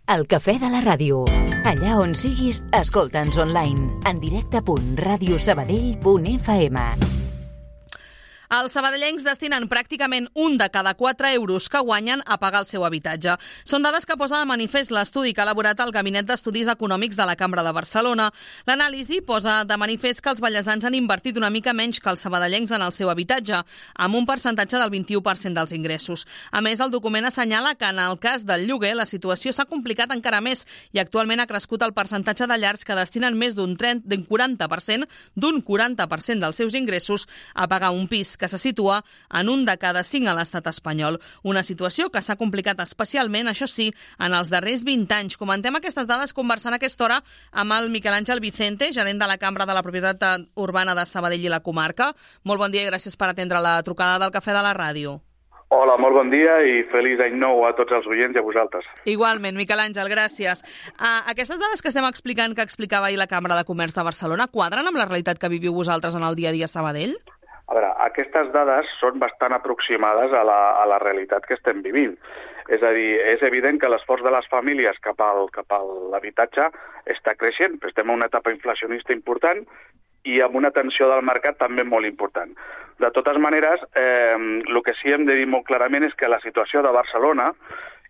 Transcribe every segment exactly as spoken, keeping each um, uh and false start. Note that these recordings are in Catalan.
El cafè de la ràdio. Allà on siguis, escolta'ns online. En directe punt radio sabadell punt f m. Els sabadellencs destinen pràcticament un de cada quatre euros que guanyen a pagar el seu habitatge. Són dades que posa de manifest l'estudi que ha elaborat el Gabinet d'Estudis Econòmics de la Cambra de Barcelona. L'anàlisi posa de manifest que els vallesans han invertit una mica menys que els sabadellencs en el seu habitatge, amb un percentatge del vint-i-u per cent dels ingressos. A més, el document assenyala que en el cas del lloguer la situació s'ha complicat encara més i actualment ha crescut el percentatge de llars que destinen més d'un quaranta per cent d'un quaranta per cent dels seus ingressos a pagar un pis, que se situa en un de cada cinc a l'estat espanyol. Una situació que s'ha complicat especialment, això sí, en els darrers vint anys. Comentem aquestes dades conversant a aquesta hora amb el Miquel Àngel Vicente, gerent de la Cambra de la Propietat Urbana de Sabadell i la comarca. Molt bon dia i gràcies per atendre la trucada del Cafè de la Ràdio. Hola, molt bon dia i feliç any nou a tots els oients i a vosaltres. Igualment, Miquel Àngel, gràcies. Uh, aquestes dades que estem explicant, que explicava ahir la Cambra de Comerç de Barcelona, quadren amb la realitat que viviu vosaltres en el dia a dia a Sabadell? A veure, aquestes dades són bastant aproximades a la, a la realitat que estem vivint. És a dir, és evident que l'esforç de les famílies cap al, cap a l'habitatge està creixent, però estem en una etapa inflacionista important i amb una tensió del mercat també molt important. De totes maneres, eh, el que sí hem de dir molt clarament és que la situació de Barcelona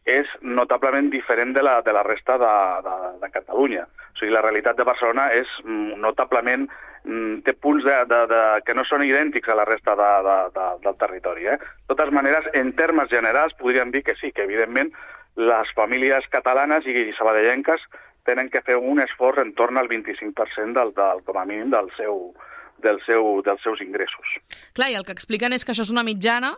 és notablement diferent de la, de la resta de, de, de Catalunya. O sigui, la realitat de Barcelona és notablement, té punts de, de, de, que no són idèntics a la resta de, de, de, del territori. Eh? De totes maneres, en termes generals, podríem dir que sí, que evidentment les famílies catalanes i sabadellenques tenen que fer un esforç en torn al vint-i-cinc per cent del, del, com a mínim del seu, del seu, dels seus ingressos. Clar, i el que expliquen és que això és una mitjana,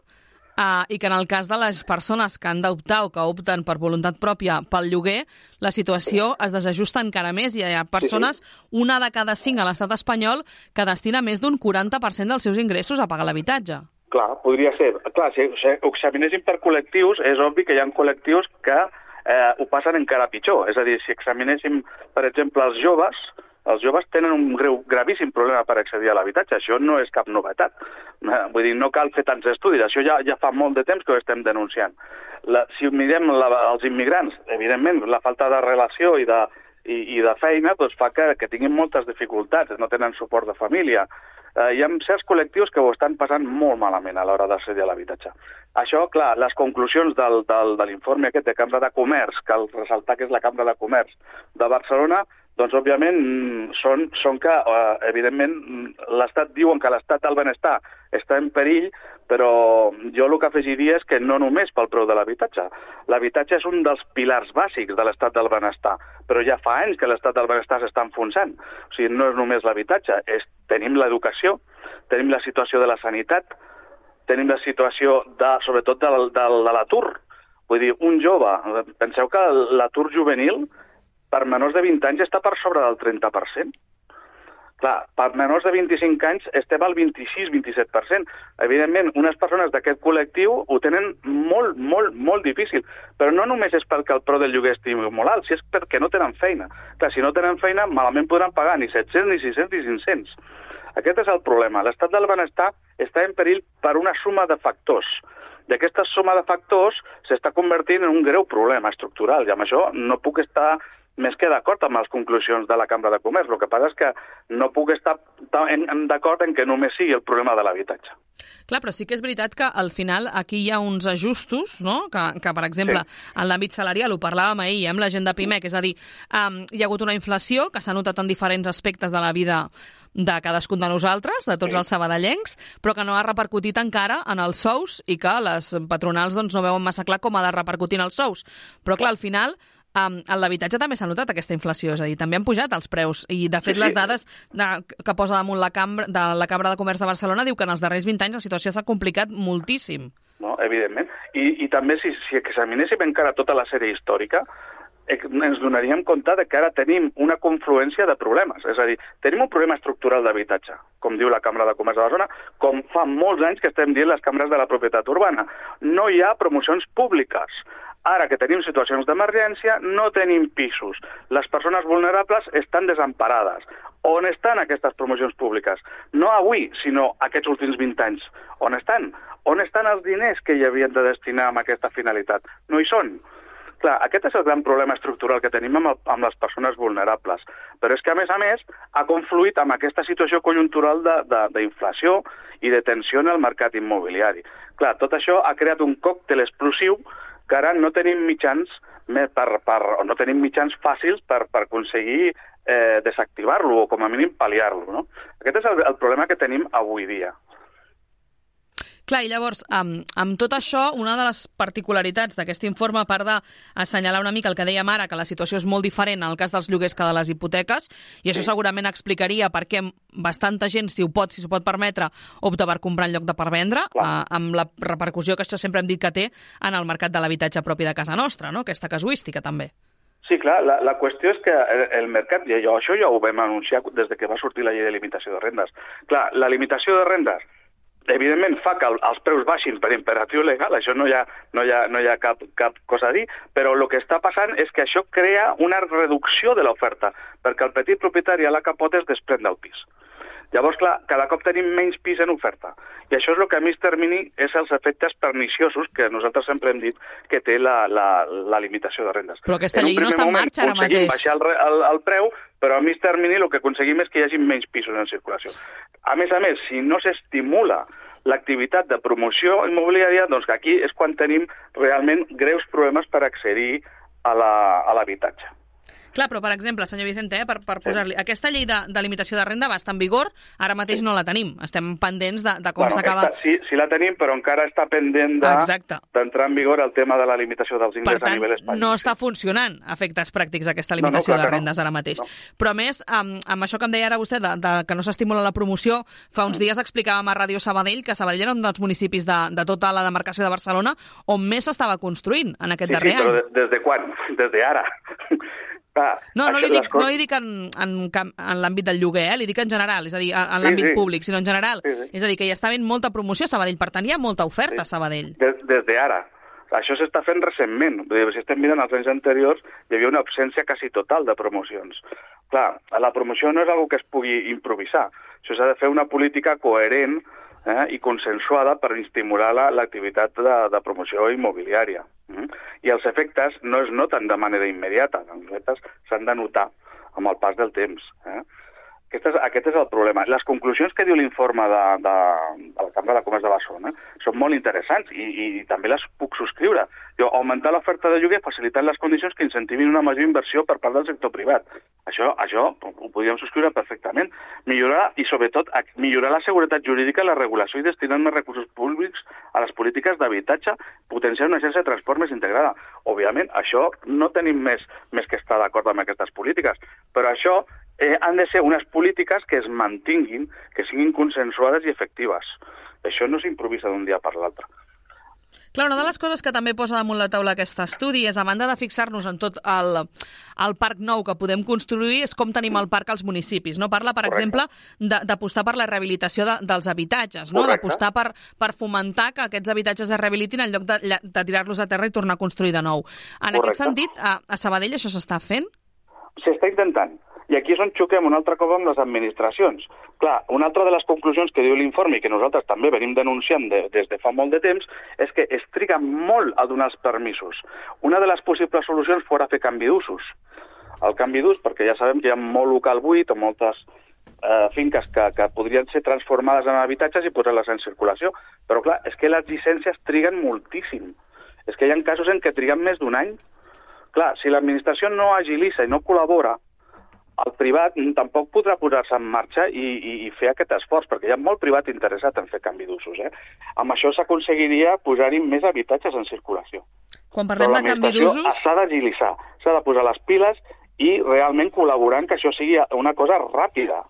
Uh, i que en el cas de les persones que han d'optar o que opten per voluntat pròpia pel lloguer, la situació es desajusta encara més i hi ha persones, una de cada cinc a l'estat espanyol, que destina més d'un quaranta per cent dels seus ingressos a pagar l'habitatge. Clar, podria ser. Clar, si ho examinessin per col·lectius, és obvi que hi ha col·lectius que eh, ho passen encara pitjor. És a dir, si examinéssim, per exemple, els joves, els joves tenen un greu, gravíssim problema per accedir a l'habitatge. Això no és cap novetat. Vull dir, no cal fer tants estudis. Això ja, ja fa molt de temps que ho estem denunciant. La, si mirem la, els immigrants, evidentment, la falta de relació i de, i, i de feina doncs, fa que, que tinguin moltes dificultats, no tenen suport de família. Eh, hi ha certs col·lectius que ho estan passant molt malament a l'hora d'accedir a l'habitatge. Això, clar, les conclusions del, del, de l'informe aquest de Cambra de Comerç, que cal ressaltar que és la Cambra de Comerç de Barcelona, doncs, òbviament, són, són que, eh, evidentment, l'Estat diuen que l'Estat del benestar està en perill, però jo el que afegiria és que no només pel preu de l'habitatge. L'habitatge és un dels pilars bàsics de l'Estat del benestar, però ja fa anys que l'Estat del benestar s'està enfonsant. O sigui, no és només l'habitatge, és, tenim l'educació, tenim la situació de la sanitat, tenim la situació, de, sobretot, de, de, de l'atur. Vull dir, un jove, penseu que l'atur juvenil per menors de vint anys està per sobre del trenta per cent. Clar, per menors de vint-i-cinc anys estem al vint-i-sis a vint-i-set per cent. Evidentment, unes persones d'aquest col·lectiu ho tenen molt, molt, molt difícil. Però no només és perquè el preu del lloguer estigui molt alt, si és perquè no tenen feina. Clar, si no tenen feina, malament podran pagar ni set-cents, ni sis-cents, ni cinc-cents. Aquest és el problema. L'estat del benestar està en perill per una suma de factors. I aquesta suma de factors s'està convertint en un greu problema estructural. I amb això no puc estar més que d'acord amb les conclusions de la Cambra de Comerç. El que passa és que no puc estar d'acord en que només sigui el problema de l'habitatge. Clar, però sí que és veritat que al final aquí hi ha uns ajustos, no? que, que per exemple, sí. En l'àmbit salarial, ho parlàvem ahir amb la gent de Pimec, és a dir, um, hi ha hagut una inflació que s'ha notat en diferents aspectes de la vida de cadascun de nosaltres, de tots sí. els sabadellencs, però que no ha repercutit encara en els sous i que les patronals doncs, no veuen massa clar com ha de repercutir en els sous. Però clar, al final Um, en l'habitatge també s'ha notat aquesta inflació, és a dir, també han pujat els preus i de fet sí, sí. les dades de, que posa damunt la Cambra, de la Cambra de Comerç de Barcelona diu que en els darrers vint anys la situació s'ha complicat moltíssim. No, evidentment. I, i també si, si examinéssim encara tota la sèrie històrica, ens donaríem compte de que ara tenim una confluència de problemes. És a dir, tenim un problema estructural d'habitatge, com diu la Cambra de Comerç de Barcelona, com fa molts anys que estem dient les cambres de la propietat urbana. No hi ha promocions públiques. Ara que tenim situacions d'emergència, no tenim pisos. Les persones vulnerables estan desemparades. On estan aquestes promocions públiques? No avui, sinó aquests últims vint anys. On estan? On estan els diners que hi havien de destinar a aquesta finalitat? No hi són. Clar, aquest és el gran problema estructural que tenim amb, el, amb les persones vulnerables. Però és que, a més a més, ha confluït amb aquesta situació conjuntural d'inflació i de tensió en el mercat immobiliari. Clar, tot això ha creat un còctel explosiu que ara no tenim mitjans, per, per, o no tenim mitjans fàcils per, per aconseguir eh, desactivar-lo o, com a mínim, pal·liar-lo. No? Aquest és el, el problema que tenim avui dia. Clar, i llavors, amb, amb tot això, una de les particularitats d'aquest informe, a part d'assenyalar una mica el que dèiem ara, que la situació és molt diferent en el cas dels lloguers que de les hipoteques, i això segurament explicaria per què bastanta gent, si ho pot, si s'ho pot permetre, opta per comprar en lloc de per vendre, eh, amb la repercussió que això sempre hem dit que té en el mercat de l'habitatge propi de casa nostra, no? Aquesta casuística, també. Sí, clar, la, la qüestió és que el mercat, i allò, això ja ho vam anunciar des de que va sortir la llei de limitació de rendes. Clar, la limitació de rendes evidentment fa que els preus baixin per imperatiu legal, això no hi ha, no hi ha, no hi ha cap, cap cosa a dir, però el que està passant és que això crea una reducció de l'oferta, perquè el petit propietari a la capota es desprèn del pis. Llavors, clar, cada cop tenim menys pis en oferta. I això és el que a mig termini és els efectes perniciosos que nosaltres sempre hem dit que té la, la, la limitació de rendes. Però aquesta llei no està en marxa ara mateix. Baixar el, el, el preu, però a mig termini el que aconseguim és que hi hagi menys pisos en circulació. A més a més, si no s'estimula l'activitat de promoció immobiliària, doncs aquí és quan tenim realment greus problemes per accedir a l'habitatge. La, Clar, però, per exemple, senyor Vicente, eh, per, per posar-li... Sí. Aquesta llei de, de limitació de renda va estar en vigor, ara mateix sí. no la tenim. Estem pendents de, de com bueno, s'acaba... Sí, sí la tenim, però encara està pendent d'entrar de, en vigor el tema de la limitació dels ingressos a nivell espanyol. Per tant, no està funcionant a efectes pràctics aquesta limitació no, no, de rendes no. ara mateix. No. Però, a més, amb, amb això que em deia ara vostè, de, de, que no s'estimula la promoció, fa uns dies explicàvem a Ràdio Sabadell que Sabadell era un dels municipis de, de tota la demarcació de Barcelona on més s'estava construint en aquest sí, darrer sí, any. Sí, però des de quan? Des d'ara. Ah, no, no li dic, coses... no li dic en, en, en l'àmbit del lloguer, eh? Li dic en general, és a dir, en l'àmbit sí, sí. públic, sinó en general. Sí, sí. És a dir, que hi està havent molta promoció a Sabadell, per tant hi ha molta oferta sí. a Sabadell. Des, des d'ara. Això s'està fent recentment. Si estem mirant els anys anteriors, hi havia una absència quasi total de promocions. Clar, la promoció no és una que es pugui improvisar. Això s'ha de fer una política coherent eh, i consensuada per estimular l'activitat la, de, de promoció immobiliària. Mm? I els efectes no es noten de manera immediata, els efectes s'han de notar amb el pas del temps. Eh? Aquest, és, aquest és el problema. Les conclusions que diu l'informe de, de, de la Cambra de Comerç de Barcelona són molt interessants i, i, i també les puc subscriure. Diu, augmentar l'oferta de lloguer facilitant les condicions que incentivin una major inversió per part del sector privat. Això, això ho podríem subscriure perfectament. Millorar, i sobretot, millorar la seguretat jurídica, la regulació i destinar més recursos públics a les polítiques d'habitatge, potenciar una xarxa de transport més integrada. Òbviament, això no tenim més, més que estar d'acord amb aquestes polítiques, però això Eh, han de ser unes polítiques que es mantinguin, que siguin consensuades i efectives. Això no s'improvisa d'un dia per l'altre. Clar, una de les coses que també posa damunt la taula aquest estudi és, a banda de fixar-nos en tot el, el parc nou que podem construir, és com tenim el parc als municipis. No? Parla, per Correcte. exemple, d'apostar per la rehabilitació de, dels habitatges, no? d'apostar per, per fomentar que aquests habitatges es rehabilitin en lloc de, de tirar-los a terra i tornar a construir de nou. En Correcte. aquest sentit, a, a Sabadell això s'està fent? S'està intentant. I aquí és on xoquem un altre cop amb les administracions. Clar, una altra de les conclusions que diu l'informe i que nosaltres també venim denunciant de, des de fa molt de temps és que es triga molt a donar els permisos. Una de les possibles solucions fora fer canvi d'usos. El canvi d'ús, perquè ja sabem que hi ha molt local buit o moltes eh, finques que, que podrien ser transformades en habitatges i posar-les en circulació. Però clar, és que les llicències triguen moltíssim. És que hi ha casos en què triguen més d'un any. Clar, si l'administració no agilitza i no col·labora, el privat tampoc podrà posar-se en marxa i, i, i fer aquest esforç, perquè hi ha molt privat interessat en fer canvi d'usos. Eh? Amb això s'aconseguiria posar-hi més habitatges en circulació. Quan parlem de canvi d'usos... S'ha d'agilitzar, s'ha de posar les piles i realment col·laborar en que això sigui una cosa ràpida.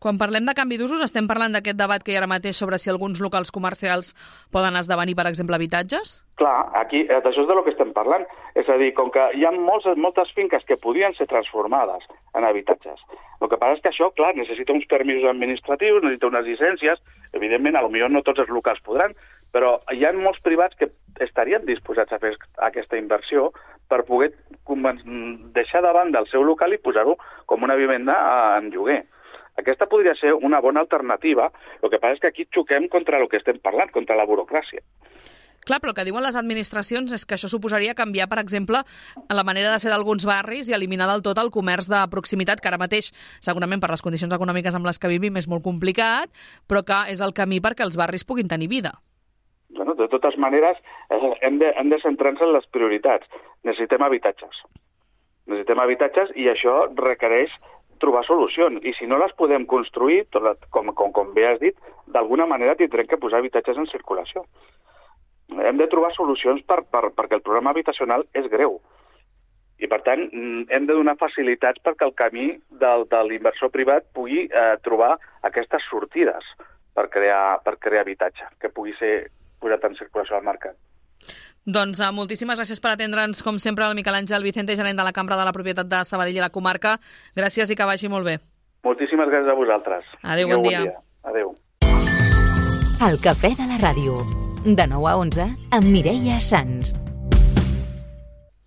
Quan parlem de canvi d'usos, estem parlant d'aquest debat que hi ha ara mateix sobre si alguns locals comercials poden esdevenir, per exemple, habitatges? Clar, aquí d'això és de lo que estem parlant. És a dir, com que hi ha molts, moltes finques que podrien ser transformades en habitatges. El que passa és que això, clar, necessita uns permisos administratius, necessita unes llicències, evidentment, a lo millor no tots els locals podran, però hi ha molts privats que estarien disposats a fer aquesta inversió per poder deixar de banda el seu local i posar-ho com una vivenda en lloguer. Aquesta podria ser una bona alternativa, el que passa és que aquí xoquem contra el que estem parlant, contra la burocràcia. Clar, però el que diuen les administracions és que això suposaria canviar, per exemple, la manera de ser d'alguns barris i eliminar del tot el comerç de proximitat, que ara mateix, segurament per les condicions econòmiques amb les que vivim, és molt complicat, però que és el camí perquè els barris puguin tenir vida. Bueno, de totes maneres, hem de, hem de centrar-nos en les prioritats. Necessitem habitatges. Necessitem habitatges i això requereix trobar solucions. I si no les podem construir, com, com, com bé has dit, d'alguna manera tindrem que posar habitatges en circulació. Hem de trobar solucions per, per, perquè el problema habitacional és greu. I, per tant, hem de donar facilitats perquè el camí del, de l'inversor privat pugui eh, trobar aquestes sortides per crear, per crear habitatge, que pugui ser posat en circulació al mercat. Doncs uh, moltíssimes gràcies per atendre'ns, com sempre, el Miquel Àngel Vicente, gerent de la Cambra de la Propietat de Sabadell i la comarca. Gràcies i que vagi molt bé. Moltíssimes gràcies a vosaltres. Adéu, bon, bon dia. dia. Adéu. El Cafè de la Ràdio, de nou a onze, amb Mireia Sans.